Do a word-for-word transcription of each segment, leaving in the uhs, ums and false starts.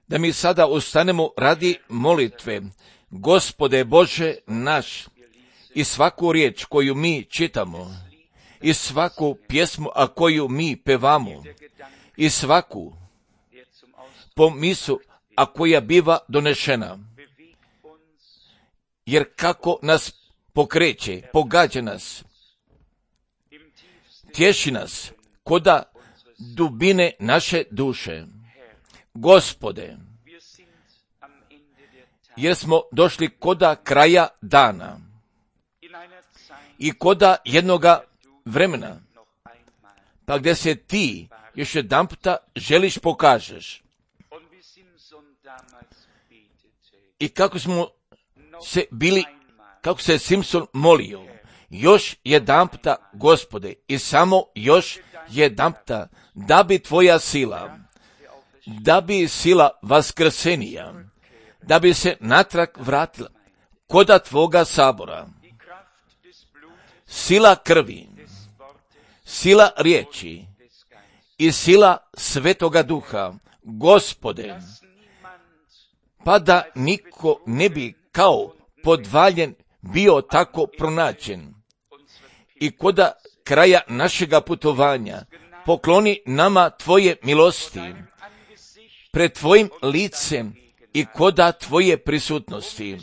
Da mi sada ustanemo radi molitve. Gospode Bože naš, i svaku riječ koju mi čitamo, i svaku pjesmu, a koju mi pevamo, i svaku pomisu, a koja biva donešena, jer kako nas pokreće, pogađa nas, tješi nas, koda dubine naše duše. Gospode, jer smo došli koda kraja dana i koda jednoga vremena, pa gdje se ti još jedan puta želiš pokažeš. I kako smo se bili, kako se Simpson molio, još jedan puta, Gospode, i samo još jedan puta, da bi tvoja sila, da bi sila vaskrsenija, da bi se natrag vratila koda tvoga sabora, sila krvi, sila riječi i sila Svetoga Duha, Gospode, pa da niko ne bi kao podvaljen bio tako pronađen. I koda kraja našega putovanja pokloni nama tvoje milosti pred tvojim licem i koda tvoje prisutnosti,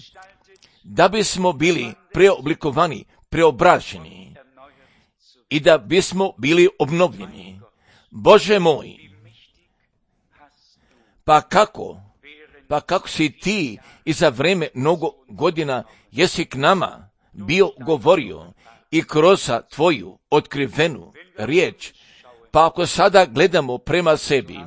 da bismo bili preoblikovani, preobraženi i da bismo bili obnovljeni. Bože moj, pa kako, pa kako si ti i za vreme mnogo godina jesi k nama bio govorio i kroz tvoju otkrivenu riječ, pa ako sada gledamo prema sebi,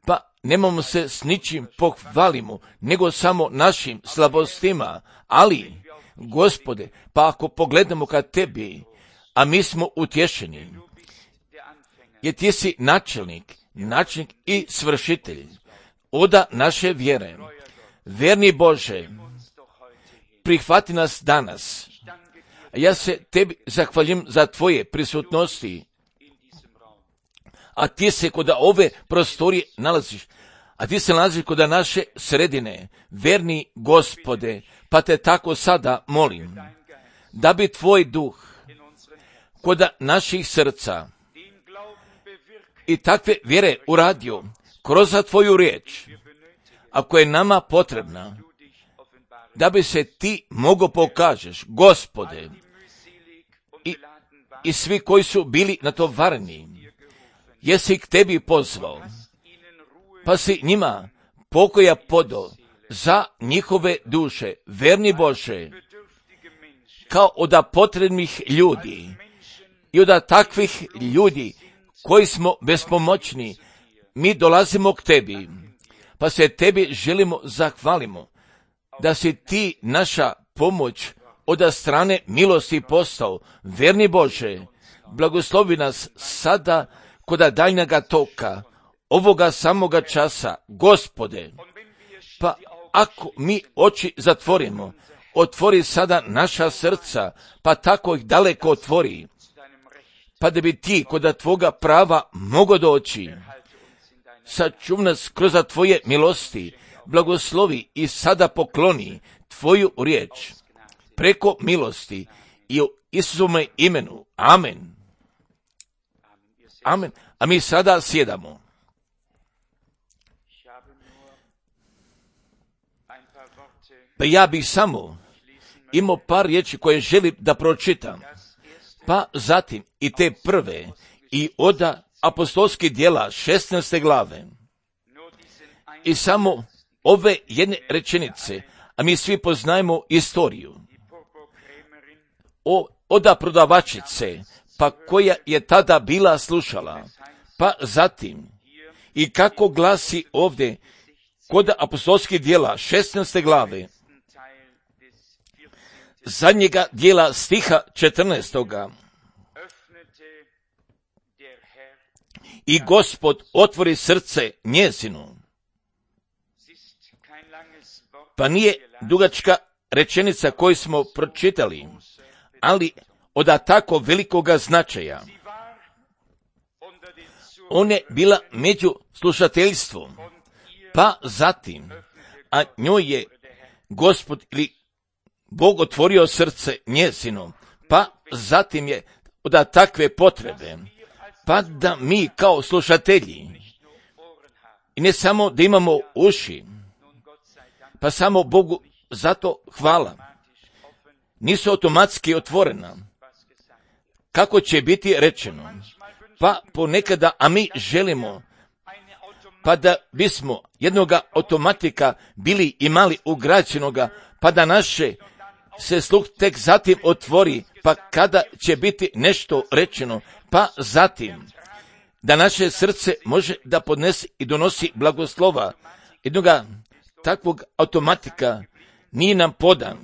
pa nemamo se s ničim pohvalimo, nego samo našim slabostima, ali, Gospode, pa ako pogledamo ka tebi, a mi smo utješeni, jer ti si načelnik, načelnik i svršitelj oda naše vjere. Verni Bože, prihvati nas danas. Ja se tebi zahvaljujem za tvoje prisutnosti, a ti se kod ove prostorije nalaziš, a ti se nalaziš kod naše sredine. Verni Gospode, pa te tako sada molim, da bi tvoj duh kod naših srca i takve vjere uradio kroz tvoju riječ, ako je nama potrebna, da bi se ti mogo pokažeš, Gospode, i, i svi koji su bili natovareni, jesi k tebi pozvao, pa si njima pokoja podo za njihove duše, verni Bože, kao oda potrebnih ljudi i oda takvih ljudi koji smo bespomoćni, mi dolazimo k tebi, pa se tebi želimo zahvalimo, da si ti naša pomoć od strane milosti postao. Verni Bože, blagoslovi nas sada kod daljnjega toka, ovoga samoga časa, Gospode, pa ako mi oči zatvorimo, otvori sada naša srca, pa tako ih daleko otvori, pa da bi ti kod tvoga prava mogo doći. Sačuv nas kroz tvoje milosti, blagoslovi i sada pokloni tvoju riječ preko milosti i u Isusovome imenu. Amen. Amen. A mi sada sjedamo. Pa ja bih samo imao par riječi koje želim da pročitam, pa zatim i te prve i oda apostolskih djela šesnaeste glave. I samo ove jedne rečenice, a mi svi poznajemo istoriju o oda prodavačice, pa koja je tada bila slušala, pa zatim i kako glasi ovdje kod apostolskih djela šesnaeste glave, zadnjega dijela stiha četrnaestoga. I Gospod otvori srce njezinu. Pa nije dugačka rečenica koju smo pročitali, ali od tako velikoga značaja. ona je bila među slušateljstvom, pa zatim, a njoj je Gospod ili Bog otvorio srce njezino, pa zatim je da takve potrebe, pa da mi kao slušatelji, i ne samo da imamo uši, pa samo Bogu zato hvala, nisu automatski otvorena. Kako će biti rečeno? Pa ponekada, a mi želimo, pa da bismo jednoga automatika bili imali ugrađenoga, pa da naše se sluh tek zatim otvori, pa kada će biti nešto rečeno, pa zatim da naše srce može da podnese i donosi blagoslova. Jednoga takvog automatika nije nam podan.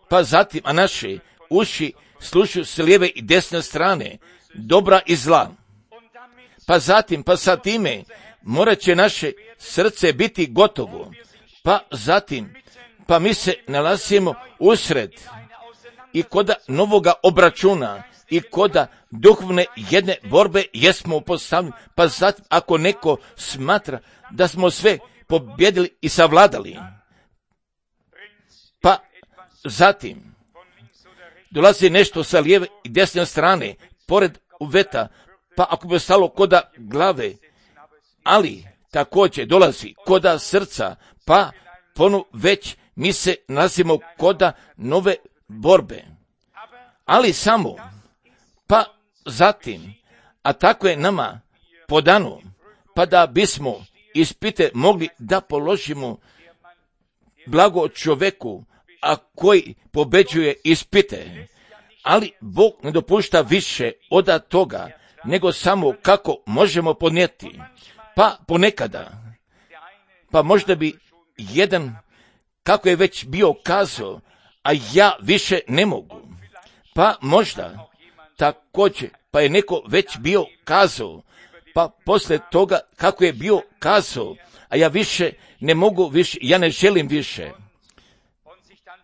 Pa zatim, a naše uši slušaju s lijeve i desne strane, dobra i zla. Pa zatim, pa sa time, morat će naše srce biti gotovo. Pa zatim, pa mi se nalazimo usred i koda novoga obračuna i koda duhovne jedne borbe jesmo postavljeni. Pa zatim, ako neko smatra da smo sve pobjedili i savladali, pa zatim dolazi nešto sa lijeve i desne strane, pored uveta, pa ako bi stalo koda glave, ali također dolazi koda srca, pa ponu već mi se nalazimo koda nove borbe. Ali samo, pa zatim, a tako je nama podano, pa da bismo ispite mogli da položimo blago čovjeku, a koji pobeđuje ispite, ali Bog ne dopušta više od toga, nego samo kako možemo podnijeti. Pa ponekada, pa možda bi jedan, kako je već bio kazao, a ja više ne mogu. Pa možda također, pa je neko već bio kazao, pa poslije toga kako je bio kazao, a ja više ne mogu više, ja ne želim više.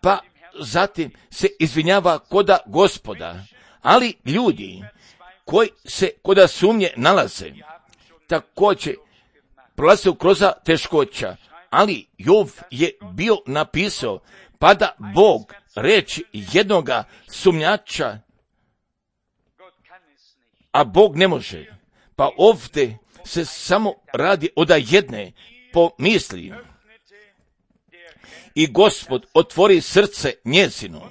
Pa zatim se izvinjava koda Gospoda, ali ljudi koji se koda sumnje nalaze, također prolaze kroz teškoća, ali Jov je bio napisao, pa da Bog reći jednoga sumnjača, a Bog ne može. Pa ovdje se samo radi od jedne pomisli. I Gospod otvori srce njezino.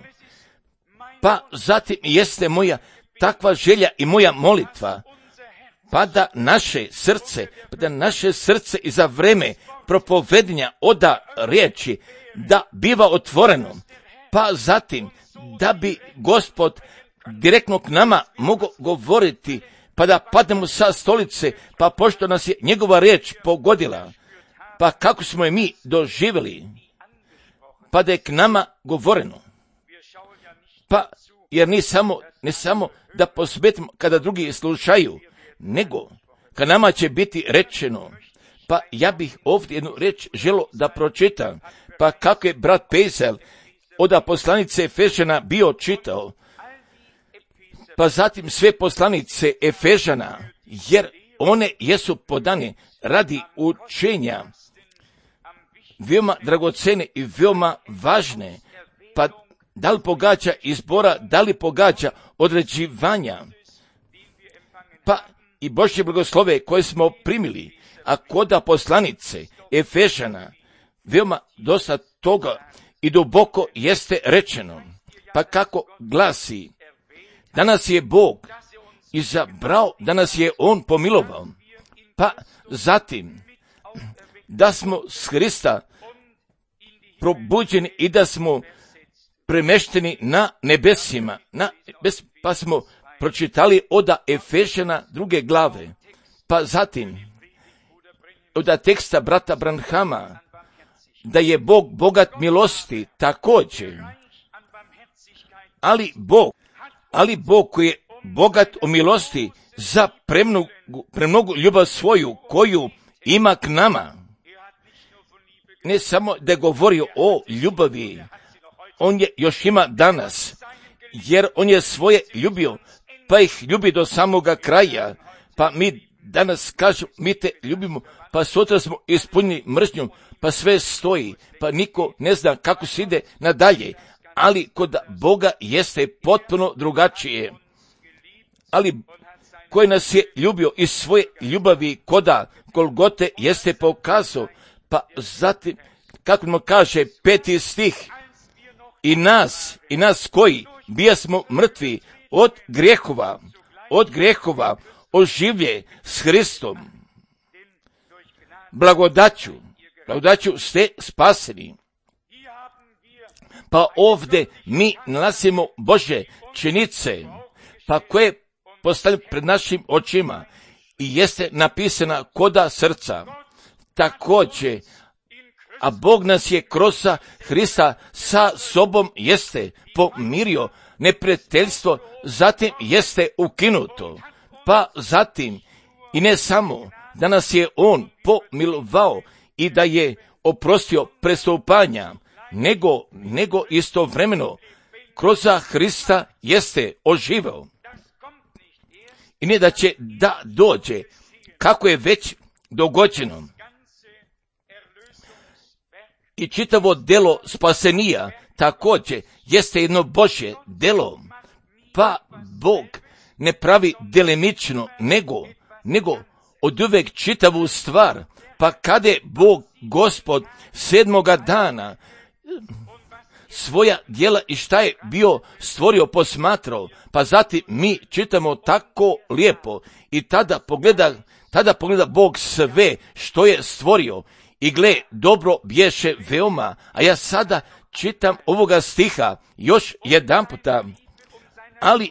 Pa zatim jeste moja takva želja i moja molitva, pa da naše srce, pa da naše srce i za vreme propovedanja oda riječi da biva otvoreno, pa zatim da bi Gospod direktno k nama mogao govoriti, pa da padnemo sa stolice, pa pošto nas je njegova riječ pogodila, pa kako smo je mi doživjeli, pa da je k nama govoreno. Pa, jer ni samo, ne samo da posvetimo kada drugi slušaju, nego kad nama će biti rečeno. Pa ja bih ovdje jednu reč želo da pročitam, pa kako je brat Pezel od poslanice Efežana bio čitao, pa zatim sve poslanice Efežana, jer one jesu podane radi učenja, veoma dragocene i veoma važne, pa da li pogađa izbora, da li pogađa određivanja, pa i Božje blagoslove koje smo primili, a koda poslanice Efežana, veoma dosta toga i duboko jeste rečeno, pa kako glasi, da nas je Bog izabrao, da nas je On pomilovao, pa zatim da smo s Hrista probuđeni i da smo premešteni na nebesima, na nebes, pa smo pročitali oda Efežana druge glave, pa zatim oda teksta brata Branhama, da je Bog bogat milosti također, ali Bog, ali Bog koji je bogat o milosti za premnogu, premnogu ljubav svoju koju ima k nama, ne samo da je govorio o ljubavi, on je još ima danas, jer on je svoje ljubio, pa ih ljubi do samoga kraja, pa mi danas kažu mi te ljubimo, pa sutra smo ispunjeni mržnjom, pa sve stoji, pa niko ne zna kako se ide nadalje, ali kod Boga jeste potpuno drugačije. Ali koji nas je ljubio iz svoje ljubavi koda Golgote jeste pokazao, pa zatim, kako nam kaže peti stih, i nas, i nas koji bijasmo mrtvi od grijehova, od grijehova oživlje s Hristom. Blagodaću, blagodaću ste spaseni. Pa ovdje mi nalazimo Božje činice, pa koje postavljaju pred našim očima i jeste napisana koda srca. Također, a Bog nas je kroz Hrista sa sobom jeste pomirio, neprijateljstvo zatim jeste ukinuto, pa zatim i ne samo da nas je On pomilovao i da je oprostio prestupanja, nego, nego istovremeno kroz Hrista jeste oživeo. I ne da će da dođe, kako je već dogođeno. I čitavo delo spasenija također jeste jedno Božje delo, pa Bog ne pravi delimično, nego, nego od uvek čitavu stvar, pa kada je Bog Gospod sedmoga dana svoja djela i šta je bio stvorio posmatrao, pa zatim mi čitamo tako lijepo i tada pogleda, tada pogleda Bog sve što je stvorio i gle, dobro bješe veoma, a ja sada čitam ovoga stiha još jedan puta, ali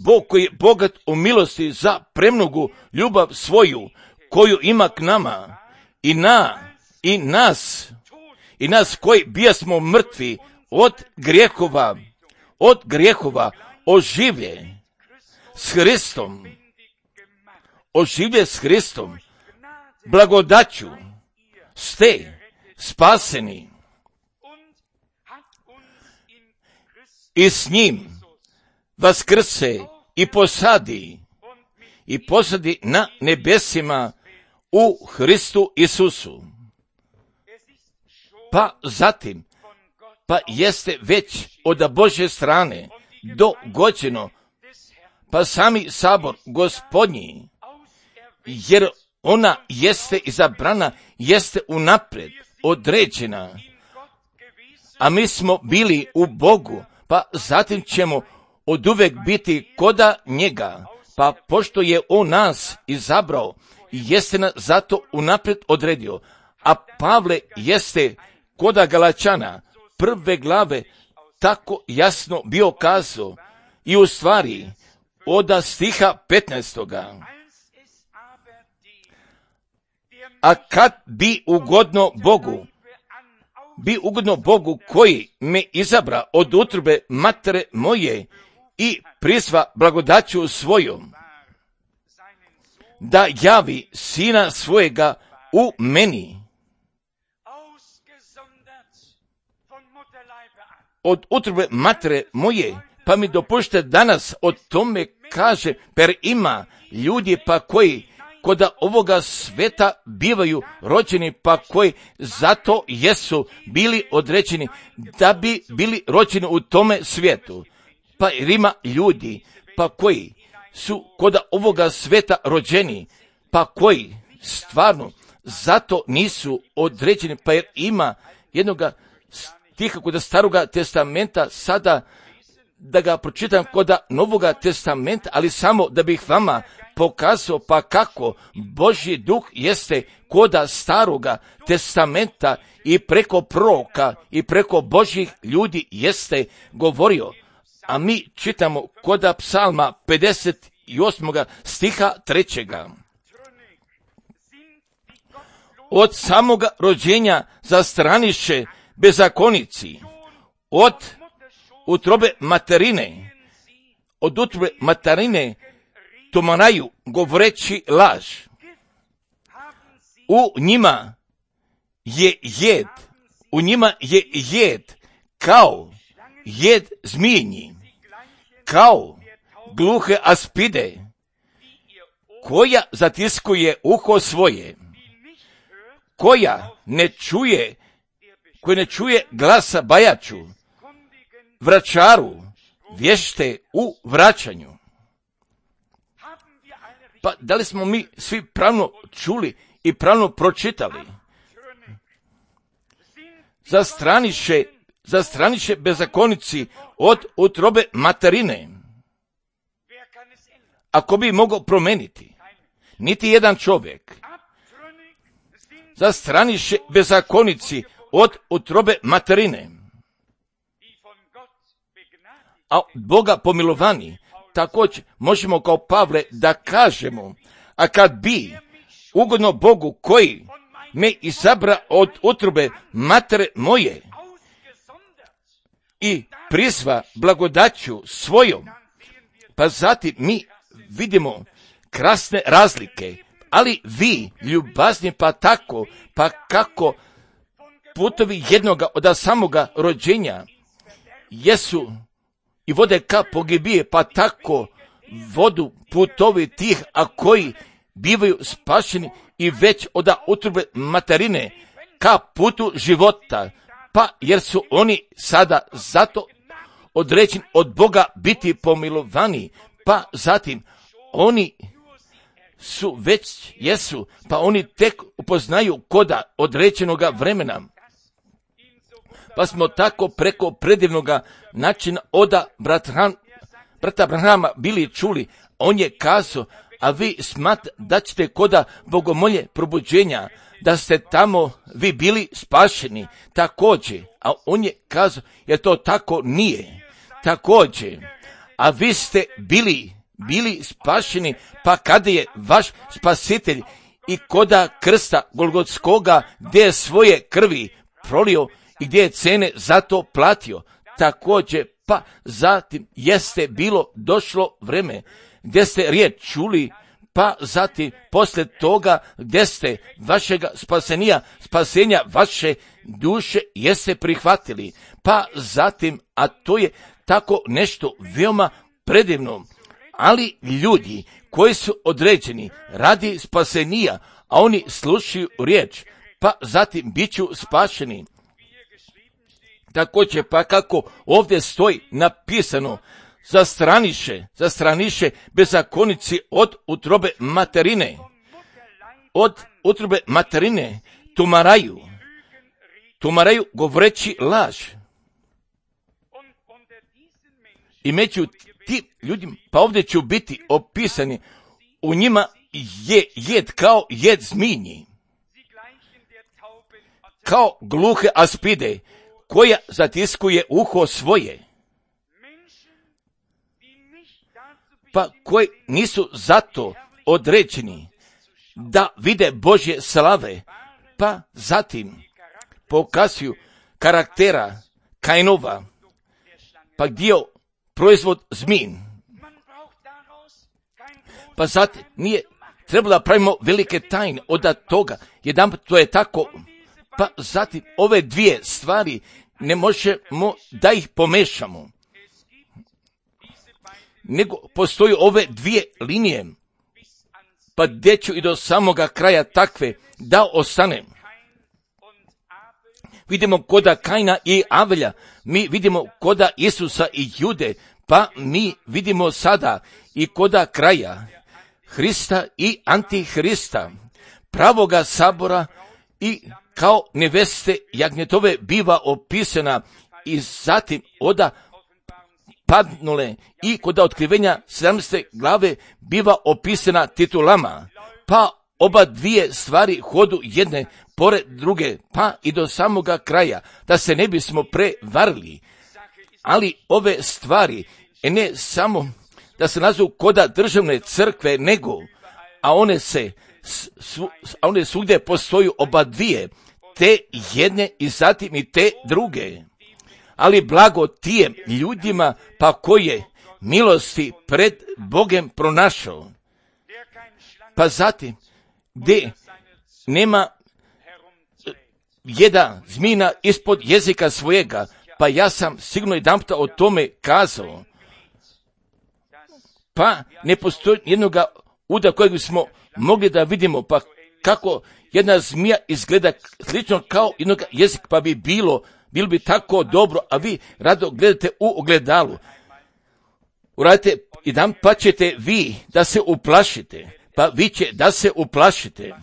Bog koji je bogat u milosti za premnogu ljubav svoju, koju ima k nama i na, i nas, i nas koji bijasmo mrtvi od grijehova, od grijehova oživlje s Hristom, oživlje s Hristom, blagodaću ste spaseni i s njim vaskrse i posadi i posadi na nebesima u Hristu Isusu. Pa zatim, pa jeste već od Božje strane dogođeno, pa sami sabor Gospodnji, jer ona jeste izabrana, jeste unaprijed određena, a mi smo bili u Bogu, pa zatim ćemo oduvek biti koda njega, pa pošto je on nas izabrao, jeste nas zato unaprijed odredio, a Pavle jeste koda Galačana prve glave tako jasno bio kazao i u stvari od stiha petnaestoga. A kad bi ugodno Bogu, bi ugodno Bogu koji me izabra od utrobe matere moje i prizva blagodaću svojom, da javi sina svojega u meni. Od utrobe matere moje, pa mi dopušte danas o tome kaže, per ima ljudi pa koji koda ovoga sveta bivaju rođeni, pa koji zato jesu bili određeni da bi bili rođeni u tome svijetu. Pa jer ima ljudi pa koji su koda ovoga sveta rođeni, pa koji stvarno zato nisu određeni, pa jer ima jednoga stiha koda Staroga testamenta, sada da ga pročitam koda Novoga testamenta, ali samo da bih vama pokazao pa kako Božji duh jeste koda Staroga testamenta i preko proroka i preko Božjih ljudi jeste govorio. A mi čitamo koda psalma pedeset osmoga stiha trećega. Od samoga rođenja zastraniše bezakonici, od utrobe materine, od utrobe materine tumaraju govoreći laž. U njima je jed, u njima je jed kao jed zmijenji, kao gluhe aspide, koja zatiskuje uho svoje, koja ne čuje, koja ne čuje glasa bajaču, vračaru, vješte u vraćanju. Pa da li smo mi svi pravno čuli i pravno pročitali? Zastraniše, zastraniše bezakonici od utrobe materine. Ako bi mogao promeniti, niti jedan čovjek. Zastraniše bezakonici od utrobe materine. A Boga pomilovani, također možemo kao Pavle da kažemo, a kad bi ugodno Bogu koji me izabra od utrobe matere moje i prizva blagodaću svojom, pa zatim mi vidimo krasne razlike, ali vi ljubazni pa tako, pa kako putovi jednoga od samoga rođenja jesu i vode ka pogibije, pa tako vodu putovi tih, a koji bivaju spašeni i već od utrobe materine ka putu života, pa jer su oni sada zato određeni od Boga biti pomilovani, pa zatim oni su već jesu, pa oni tek upoznaju koda određenoga vremena. Pa smo tako preko predivnoga načina oda brata Abrahama bili čuli, on je kazao, a vi smat da ćete koda bogomolje probuđenja, da ste tamo vi bili spašeni, također, a on je kazao, jer to tako nije, također, a vi ste bili, bili spašeni, pa kada je vaš spasitelj i koda krsta Golgotskoga, gdje je svoje krvi prolio i gdje je cene za to platio, također, pa zatim jeste bilo došlo vreme gdje ste riječ čuli, pa zatim poslije toga gdje ste vašega spasenija, spasenja vaše duše jeste prihvatili, pa zatim, a to je tako nešto veoma predivno, ali ljudi koji su određeni radi spasenija, a oni slušaju riječ, pa zatim bit ću spašeni. Također, pa kako ovdje stoji napisano, zastraniše, zastraniše bezakonici od utrobe materine, od utrobe materine tumaraju, tumaraju govoreći laž. I među tim ljudima, pa ovdje ću biti opisani, u njima je jed kao jed zminji, kao gluhe aspide, koja zatiskuje uho svoje, pa koji nisu zato određeni da vide Božje slave, pa zatim pokazuju karaktera Kainova, pa dio proizvod zmin. Pa zatim nije trebalo da pravimo velike tajne od toga, jedan to je tako, pa zatim ove dvije stvari ne možemo da ih pomešamo, nego postoji ove dvije linije, pa gdje ću i do samoga kraja takve da ostanem. Vidimo koda Kaina i Avelja, mi vidimo koda Isusa i Jude, pa mi vidimo sada i koda kraja Hrista i Antihrista, pravoga sabora i kao neveste jagnjetove biva opisana i zatim oda padnule i kod otkrivenja sedamnaeste glave biva opisana titulama, pa oba dvije stvari hodu jedne pored druge, pa i do samoga kraja, da se ne bismo prevarili. Ali ove stvari ne samo da se nazovu koda državne crkve, nego, a one se Svu, a one svugdje postoju oba dvije, te jedne i zatim i te druge. Ali blago tijem ljudima, pa koje milosti pred Bogem pronašao. Pa zatim, gdje nema jedna zmina ispod jezika svojega, pa ja sam sigurno jedan puta o tome kazao. Pa ne postoji jednoga uda kojeg smo mogli da vidimo, pa kako jedna zmija izgleda slično kao jednog jezika, pa bi bilo, bilo bi tako dobro, a vi rado gledate u ogledalu. Uradite jedan, pa ćete vi da se uplašite, pa vi će da se uplašite,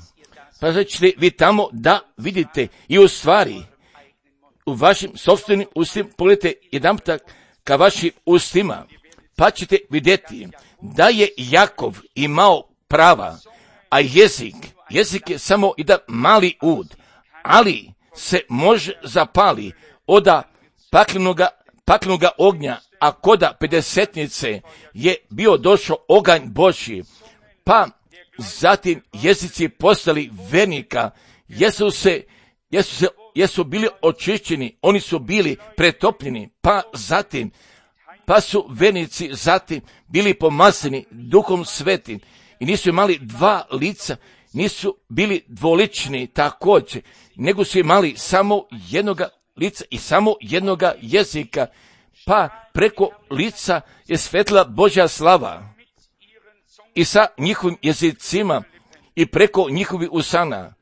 pa ćete vi tamo da vidite i u stvari u vašim sopstvenim ustima, pogledajte jedan tak ka vašim ustima, pa ćete vidjeti da je Jakov imao prava, a jezik, jezik je samo jedan mali ud, ali se može zapali oda paklenoga, paklenoga ognja, a koda pedesetnice je bio došao oganj Božji, pa zatim jezici postali vernika, jesu se, jesu se, jesu bili očišćeni, oni su bili pretopljeni, pa zatim, pa su vernici zatim bili pomazani Duhom Svetim i nisu imali dva lica, nisu bili dvolični također, nego su imali samo jednoga lica i samo jednoga jezika, pa preko lica je svetla Božja slava i sa njihovim jezicima i preko njihovih usana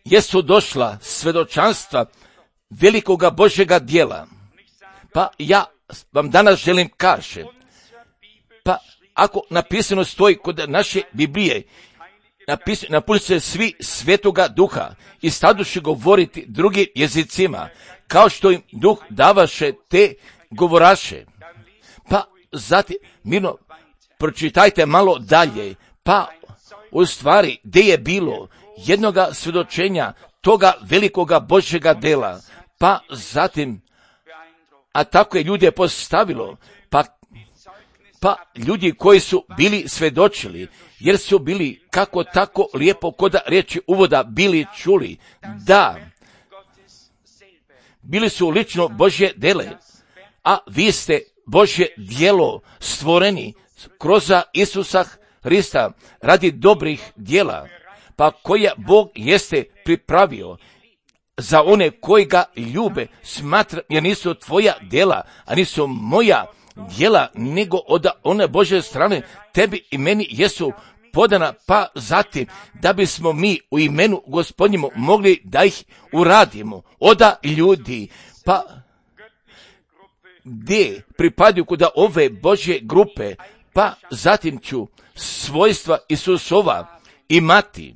jesu došla svedočanstva velikoga Božjega djela. Pa ja vam danas želim kaži, pa ako napisano stoji kod naše Biblije, napisano, napuni se svi Svetoga Duha i staduše govoriti drugim jezicima, kao što im Duh davaše te govoraše. Pa zatim, mirno, pročitajte malo dalje, pa u stvari gdje je bilo jednoga svjedočenja toga velikoga Božjega dela, pa zatim, a tako je ljude postavilo, pa, pa ljudi koji su bili svjedočili, jer su bili kako tako lijepo koda riječi uvoda bili čuli, da bili su lično Božje dele, a vi ste Božje djelo stvoreni kroz Isusa Hrista radi dobrih djela, pa koja Bog jeste pripravio za one koji ga ljube, smatra, jer nisu tvoja djela, a nisu moja djela, nego od one Božje strane tebi i meni jesu podana, pa zatim da bismo mi u imenu Gospodnjemu mogli da ih uradimo oda ljudi, pa gdje pripadaju kod ove Božje grupe, pa zatim ću svojstva Isusova imati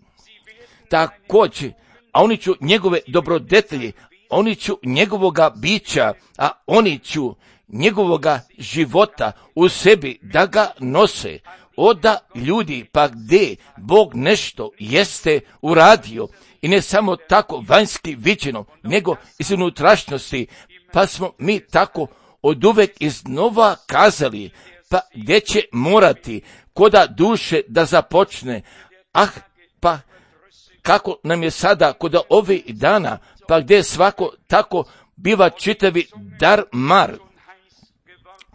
također, a oni ću njegove dobrodetelje, oni ću njegovoga bića, a oni ću njegovoga života u sebi da ga nose oda ljudi, pa gdje Bog nešto jeste uradio i ne samo tako vanjski viđeno, nego iz unutrašnjosti, pa smo mi tako oduvek iznova kazali, pa gdje će morati koda duše da započne, ah, pa kako nam je sada kod ovih dana, pa gdje svako tako biva čitavi dar mar,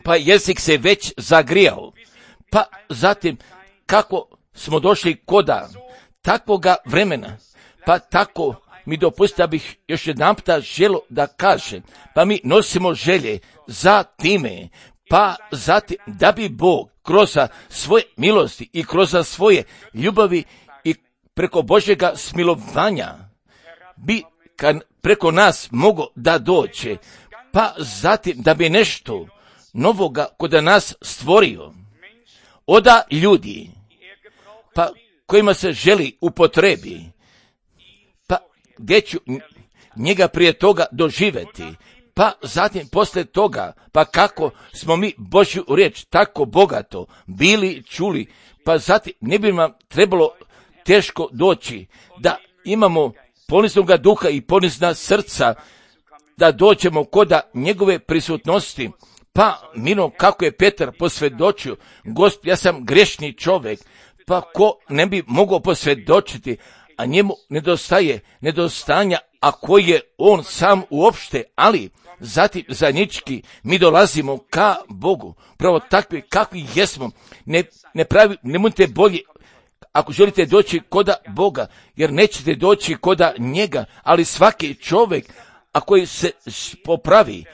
pa jezik se već zagrijao, pa zatim kako smo došli koda takvoga vremena, pa tako mi dopustite da bih još jedan puta želo da kažem, pa mi nosimo želje za time, pa zatim da bi Bog kroz svoje milosti i kroz svoje ljubavi i preko Božjega smilovanja bi kad preko nas mogo da dođe, pa zatim da bi nešto novoga kod nas stvorio oda ljudi, pa kojima se želi upotrebi, pa gdje ću njega prije toga doživjeti, pa zatim poslije toga, pa kako smo mi Božju riječ tako bogato bili čuli, pa zatim ne bi nam trebalo teško doći da imamo poniznoga duha i ponizna srca, da dođemo koda njegove prisutnosti, pa mino kako je Petar posvjedočio, Gospod, ja sam grešni čovjek, pa ko ne bi mogao posvjedočiti, a njemu nedostaje nedostanja, a koji je on sam uopšte, ali zatim zajednički mi dolazimo ka Bogu, pravo takvi kakvi jesmo, ne, ne pravi, nemojte bolje, ako želite doći koda Boga, jer nećete doći koda njega, ali svaki čovjek, a koji se popravi,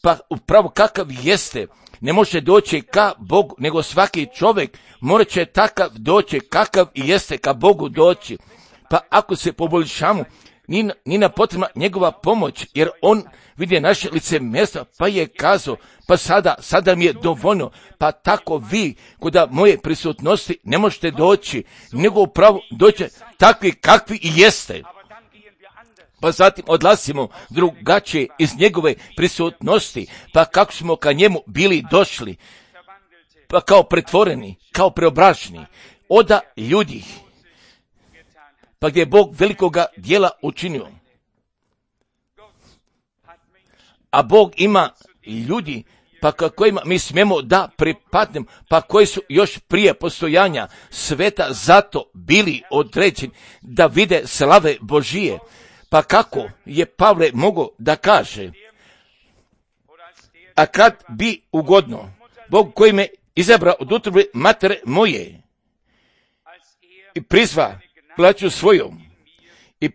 pa upravo kakav jeste, ne može doći ka Bogu, nego svaki čovjek morat će takav doći, kakav i jeste ka Bogu doći. Pa ako se poboljšamo, ni na potrebna njegova pomoć, jer on vidi naše lice mjesta, pa je kazao, pa sada, sada mi je dovoljno, pa tako vi, kuda moje prisutnosti ne možete doći, nego upravo doći takvi kakvi i jeste. Pa zatim odlazimo drugačije iz njegove prisutnosti, pa kako smo ka njemu bili došli, pa kao pretvoreni, kao preobraženi, oda ljudi, pa gdje je Bog velikoga dijela učinio. A Bog ima ljudi, pa kojima mi smijemo da pripadnemo, pa koji su još prije postojanja sveta zato bili određeni da vide slave Božije. Pa kako je Pavle mogao da kaže, a kad bi ugodno Bog koji me izabrao od utrobe matere moje i prizva plaću svojom i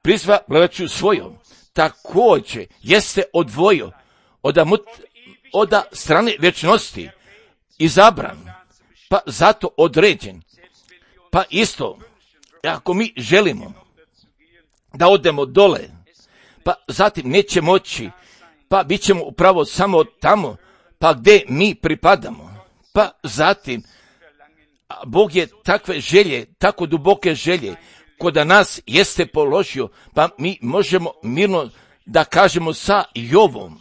prizva plaću svojom, također jeste odvojio od, od strane vječnosti izabran, pa zato određen. Pa isto, ako mi želimo da odemo dole, pa zatim neće moći, pa bit ćemo upravo samo tamo, pa gdje mi pripadamo. Pa zatim, Bog je takve želje, tako duboke želje, kod nas jeste položio, pa mi možemo mirno da kažemo sa Jovom,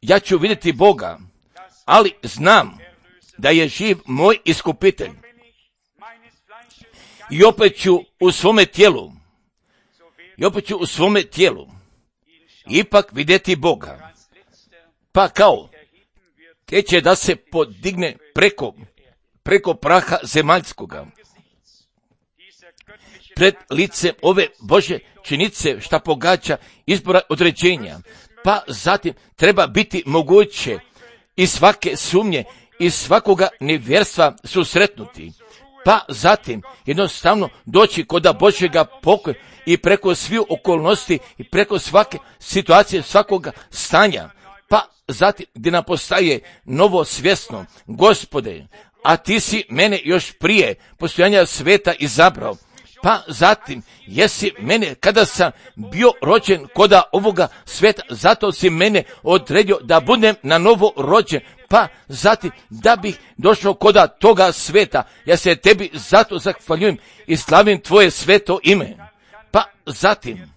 ja ću vidjeti Boga, ali znam da je živ moj iskupitelj. I opet ću u svome tijelu, i opet ću u svome tijelu ipak vidjeti Boga. Pa kao, te će da se podigne preko, preko praha zemaljskoga, pred licem ove Bože činice šta pogađa izbora određenja. Pa zatim treba biti moguće i svake sumnje i svakoga nevjerstva susretnuti. Pa zatim jednostavno doći koda Božjega pokoja i preko svih okolnosti i preko svake situacije, svakoga stanja. Pa zatim gdje nam postaje novo svjesno, Gospode, a ti si mene još prije postojanja sveta izabrao. Pa zatim, jesi mene, kada sam bio rođen koda ovoga sveta, zato si mene odredio da budem na novo rođen. Pa zatim, da bih došao koda toga sveta, ja se tebi zato zahvaljujem i slavim tvoje sveto ime. Pa zatim,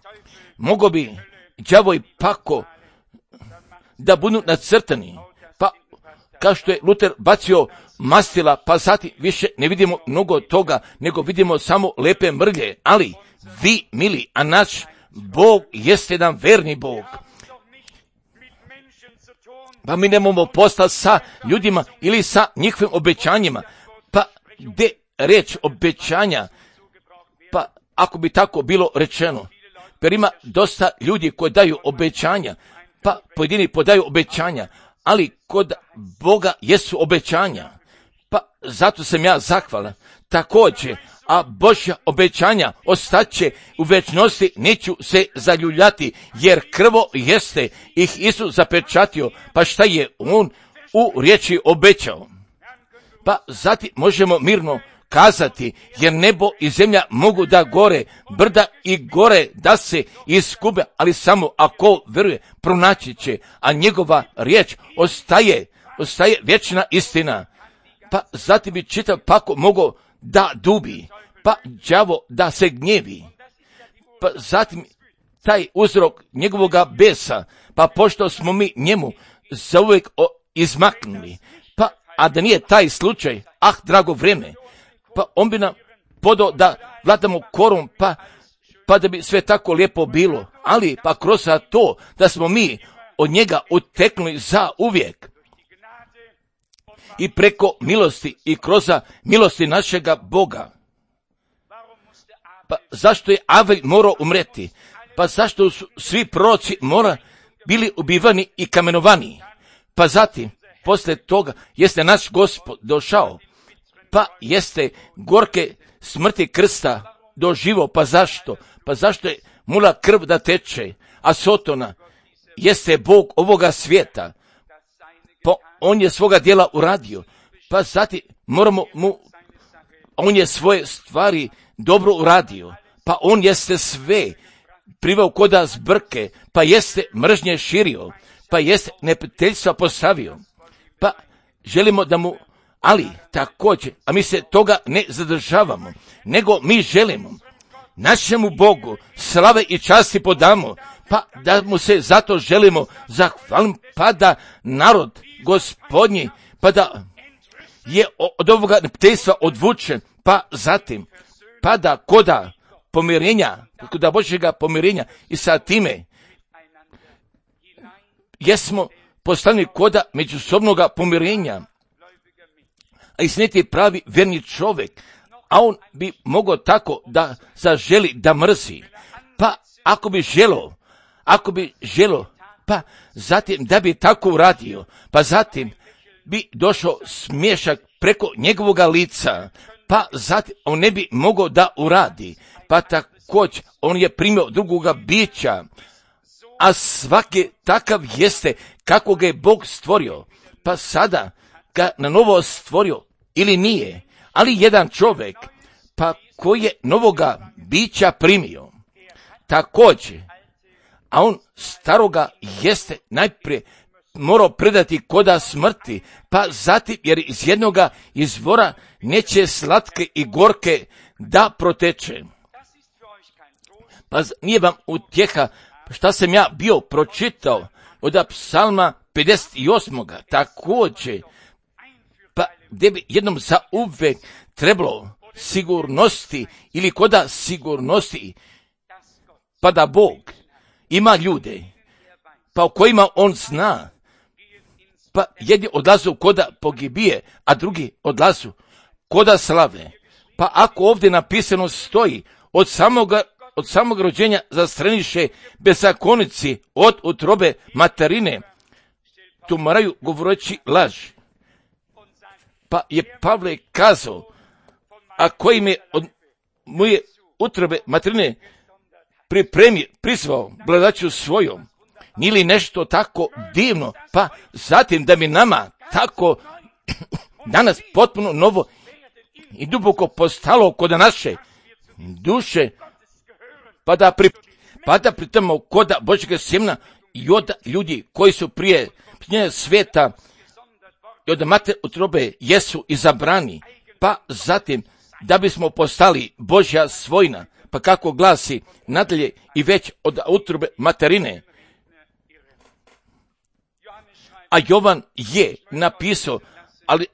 mogo bi đavo i pako da budu nacrtani, pa kao što je Luter bacio mastila, pa zatim više ne vidimo mnogo toga, nego vidimo samo lepe mrlje, ali vi, mili, a naš Bog jeste jedan verni Bog. Pa mi nemamo posla sa ljudima ili sa njihovim obećanjima, pa gdje reč obećanja, pa ako bi tako bilo rečeno, jer ima dosta ljudi koji daju obećanja, pa pojedini podaju obećanja, ali kod Boga jesu obećanja. Pa zato sam ja zahvalan. Također, a Božja obećanja ostaće u večnosti, neću se zaljuljati, jer krvo jeste ih Isus zapečatio, pa šta je on u riječi obećao. Pa zatim možemo mirno kazati, jer nebo i zemlja mogu da gore, brda i gore da se iskube, ali samo ako veruje pronaći će, a njegova riječ ostaje, ostaje vječna istina. Pa zatim bi čitav pako mogao da dubi, pa đavo da se gnjevi. Pa zatim taj uzrok njegovoga besa, pa pošto smo mi njemu zauvijek izmaknuli, pa a da nije taj slučaj, ah drago vrijeme, pa on bi nam podao da vladamo korom, pa, pa da bi sve tako lijepo bilo, ali pa kroz to da smo mi od njega uteknuli za uvijek. I preko milosti i kroz milosti našega Boga. Pa zašto je Avelj morao umreti? Pa zašto su svi proroci mora bili ubivani i kamenovani? Pa zatim, poslije toga, jeste naš Gospod došao, pa jeste gorke smrti krsta doživo, pa zašto? Pa zašto je mula krv da teče, a Sotona jeste Bog ovoga svijeta, pa on je svoga djela uradio, pa zatim moramo mu, on je svoje stvari dobro uradio, pa on jeste sve priveo koda zbrke, pa jeste mržnje širio, pa jeste neprijateljstva postavio, pa želimo da mu, ali također, a mi se toga ne zadržavamo, nego mi želimo našemu Bogu slave i časti podamo, pa da mu se zato želimo zahvaliti, pa da narod Gospodnji, pa da je od ovoga neprijateljstva odvučen, pa zatim, pa da koda pomirenja, koda Božjega pomirenja i sa time jesmo postavljeni koda međusobnoga pomirenja, a istiniti pravi verni čovjek, a on bi mogao tako da zaželi da mrzi, pa ako bi želo, ako bi želo, pa zatim da bi tako uradio, pa zatim bi došao smiješak preko njegovoga lica, pa zatim on ne bi mogao da uradi, pa također on je primio drugoga bića, a svaki takav jeste kako ga je Bog stvorio, pa sada ga na novo stvorio ili nije, ali jedan čovjek, pa koji je novoga bića primio, također, a on staroga jeste najprije morao predati koda smrti, pa zatim jer iz jednoga izvora neće slatke i gorke da proteče. Pa nije vam utjeha šta sam ja bio pročitao od psalma pedeset osam. Također, pa gdje bi jednom za uvek trebalo sigurnosti ili koda sigurnosti, pa da Bog ima ljude, pa o kojima on zna, pa jedni odlazu koda pogibije, a drugi odlazu koda slave. Pa ako ovdje napisano stoji, od samoga, od samog rođenja zastraniše bezakonici od utrobe materine, tu moraju govoreći laž. Pa je Pavle kazao, a koji me od moje utrobe materine pripremi, prizvao bladaću svojom, nije li nešto tako divno, pa zatim da mi nama tako danas potpuno novo i duboko postalo kod naše duše, pa da, pri, pa da pritamo koda Božjega sjemena i od ljudi koji su prije svijeta i od mater utrobe jesu izabrani, pa zatim da bismo postali Božja svojina, pa kako glasi nadalje i već od utrobe materine. A Jovan je napisao, ali,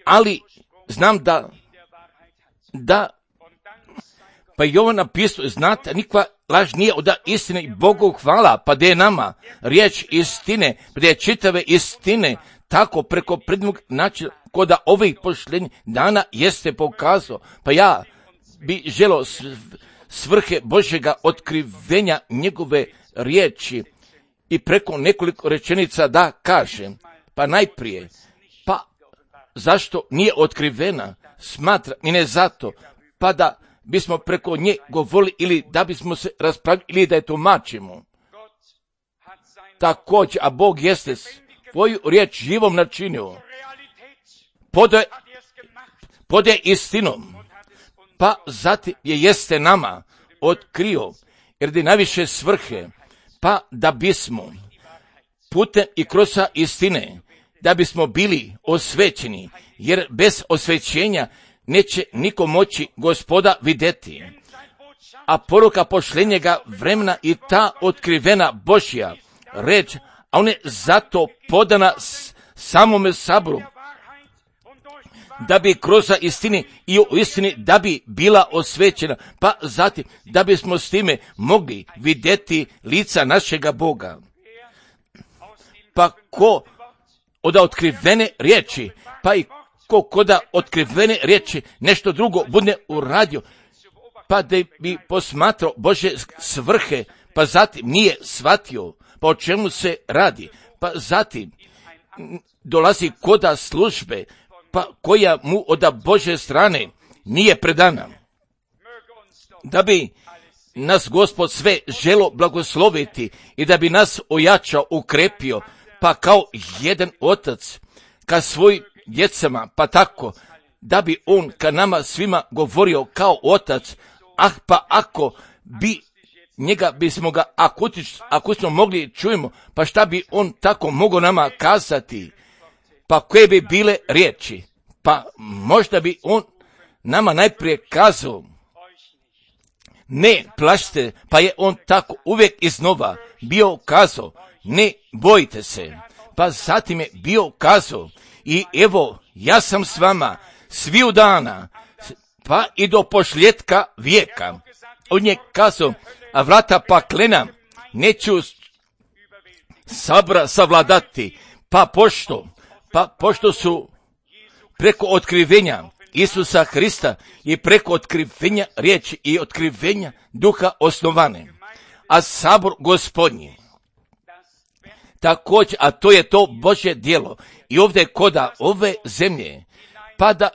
ali znam da, da, pa Jovan napisao, znate, nikva laž nije od istine i Bogu hvala, pa da je nama riječ istine, pa da je čitave istine, tako preko predmog načina, koda ovih pošljenja dana jeste pokazao, pa ja bi želio svrhe Božjega otkrivenja njegove riječi i preko nekoliko rečenica da kažem, pa najprije, pa zašto nije otkrivena, smatra i ne zato, pa da bismo preko nje govorili ili da bismo se raspravili ili da je tumačimo. Također, a Bog jeste svoju riječ živom načinio, pode, pode istinom, pa zatim je jeste nama otkrio, jer da je najviše svrhe, pa da bismo putem i kroz istine, da bismo bili osvećeni, jer bez osvećenja neće niko moći Gospoda vidjeti. A poruka pošljenjega vremena i ta otkrivena Božja reč, a on je zato podana samome saboru, da bi kroz istini i u istini da bi bila osvećena, pa zatim da bismo s time mogli vidjeti lica našega Boga. Pa ko od otkrivene riječi, pa i ko koda otkrivene riječi nešto drugo bude uradio, pa da bi posmatrao Božje svrhe, pa zatim nije shvatio pa o čemu se radi, pa zatim dolazi koda službe, pa koja mu od Božje strane nije predana. Da bi nas Gospod sve želo blagosloviti i da bi nas ojačao, ukrepio, pa kao jedan otac ka svojim djecama, pa tako da bi on ka nama svima govorio kao otac. Ah, pa ako bi njega bismo ga akustično mogli čujemo, pa šta bi on tako mogao nama kazati? Pa koje bi bile riječi? Pa možda bi on nama najprije kazao, ne plašite, pa je on tako uvijek iznova bio kazao, ne bojite se. Pa zatim je bio kazao, i evo, ja sam s vama sviju dana, pa i do pošljetka vijeka. On je kazao, a vrata paklena neću sabra savladati, pa pošto, pa pošto su preko otkrivenja Isusa Hrista i preko otkrivenja riječi i otkrivenja duha osnovane. A sabor Gospodnji također, a to je to Božje djelo i ovdje koda ove zemlje, pa da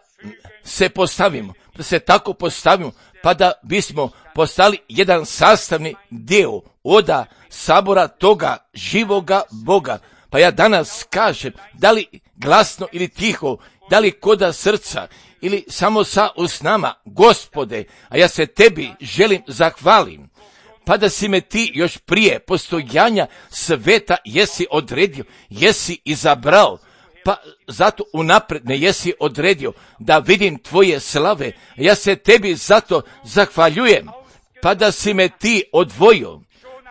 se postavimo, da se tako postavimo, pa da bismo postali jedan sastavni dio oda sabora toga živoga Boga. Pa ja danas kažem, da li glasno ili tiho, da li koda srca ili samo sa usnama, Gospode, a ja se tebi želim zahvalim, pa da si me ti još prije postojanja sveta jesi odredio, jesi izabrao, pa zato unapred me jesi odredio da vidim tvoje slave, ja se tebi zato zahvaljujem, pa da si me ti odvojio,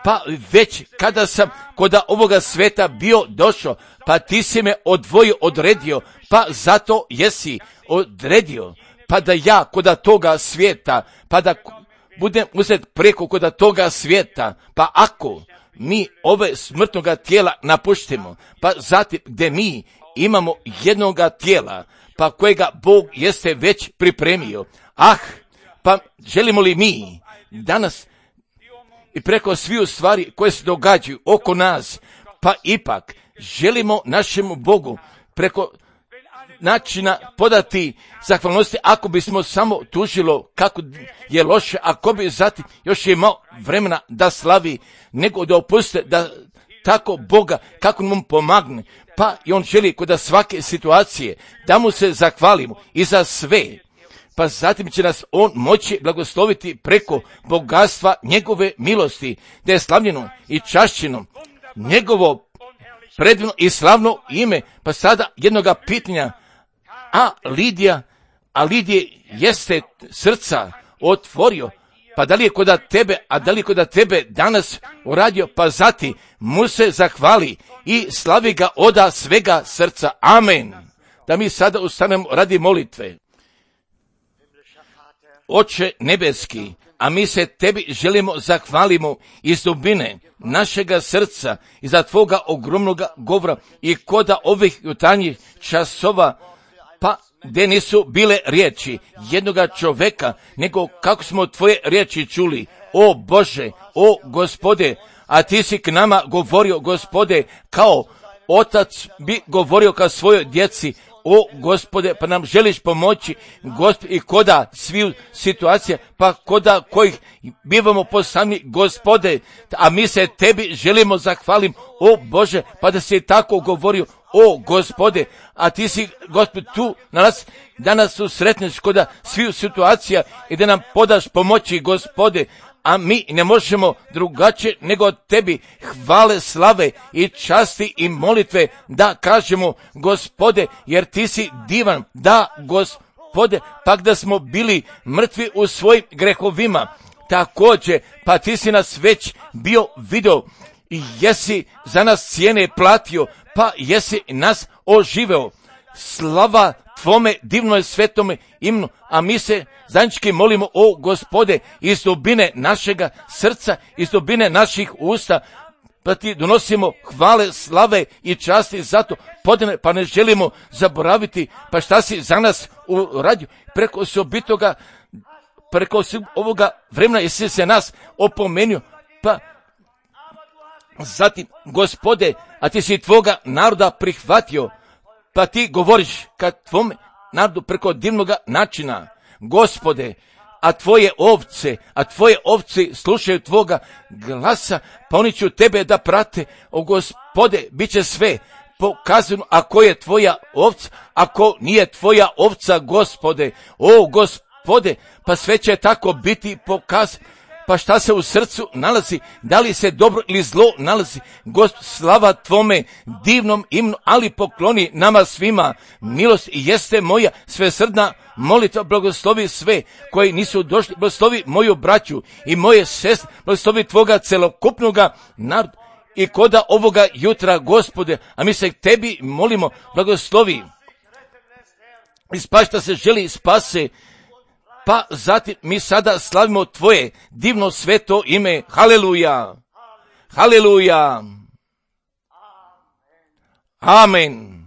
pa već kada sam koda ovoga sveta bio došao, pa ti si me odvojio, odredio, pa zato jesi odredio, pa da ja koda toga svijeta, pa da budem uzet preko koda toga svijeta, pa ako mi ove smrtnoga tijela napuštimo, pa zatim gdje mi imamo jednoga tijela, pa kojega Bog jeste već pripremio. Ah, pa želimo li mi danas i preko sviju stvari koje se događaju oko nas, pa ipak želimo našemu Bogu preko načina podati zahvalnosti, ako bismo samo tužilo kako je loše, ako bi zatim još imao vremena da slavi, nego da opuste da tako Boga kako nam pomogne, pa i on želi kod svake situacije da mu se zahvalimo i za sve, pa zatim će nas on moći blagosloviti preko bogatstva njegove milosti, da je slavljeno i čašćeno njegovo predivno i slavno ime. Pa sada jednoga pitanja, a Lidija, a Lidije jeste srca otvorio, pa da li je kod tebe, a da li je kod tebe danas uradio, pa zati mu se zahvali i slavi ga oda svega srca. Amen. Da mi sada ustanemo radi molitve. Oče nebeski, a mi se tebi želimo zahvalimo iz dubine našega srca i za tvoga ogromnoga govora i koda ovih jutarnjih časova, pa gdje nisu bile riječi jednoga čoveka, nego kako smo tvoje riječi čuli. O Bože, o Gospode, a ti si k nama govorio, Gospode, kao otac bi govorio ka svojoj djeci. O Gospode, pa nam želiš pomoći, Gospod, i koda sviju situacija, pa koda kojih bivamo posami, Gospode, a mi se tebi želimo zahvalim, o Bože, pa da si tako govorio, o Gospode, a ti si, Gospod, tu na nas, da nas susretneš koda sviju situacija i da nam podaš pomoći, Gospode, a mi ne možemo drugačije nego tebi hvale, slave i časti i molitve da kažemo, Gospode, jer ti si divan, da, Gospode, pak da smo bili mrtvi u svojim grehovima, također, pa ti si nas već bio video i jesi za nas cijene platio, pa jesi nas oživeo. Slava tvome divnoj svetome imenu, a mi se zajednički molimo, o Gospode, iz dubine našega srca, iz dubine naših usta, pa ti donosimo hvale, slave i časti zato podane, pa ne želimo zaboraviti, pa šta si za nas uradio preko osobitoga, preko ovoga vremena, jesi se nas opomenio, pa zatim, Gospode, a ti si tvoga naroda prihvatio, pa ti govoriš kad tvome narodu preko divnoga načina, Gospode, a tvoje ovce, a tvoje ovce slušaju tvoga glasa, pa oni će tebe da prate. O Gospode, bit će sve pokazano ako je tvoja ovca, ako nije tvoja ovca, Gospode. O Gospode, pa sve će tako biti pokazano. Pa šta se u srcu nalazi, da li se dobro ili zlo nalazi, Gospod, slava tvome divnom imenu, ali pokloni nama svima. Milost jeste moja svesrdna molitva, blagoslovi sve koji nisu došli, blagoslovi moju braću i moje sestre, blagoslovi tvoga celokupnoga naroda i koda ovoga jutra, Gospode, a mi se tebi molimo, blagoslovi i spašta se želi spase. Pa zatim mi sada slavimo tvoje divno sveto ime. Haleluja! Haleluja! Amen!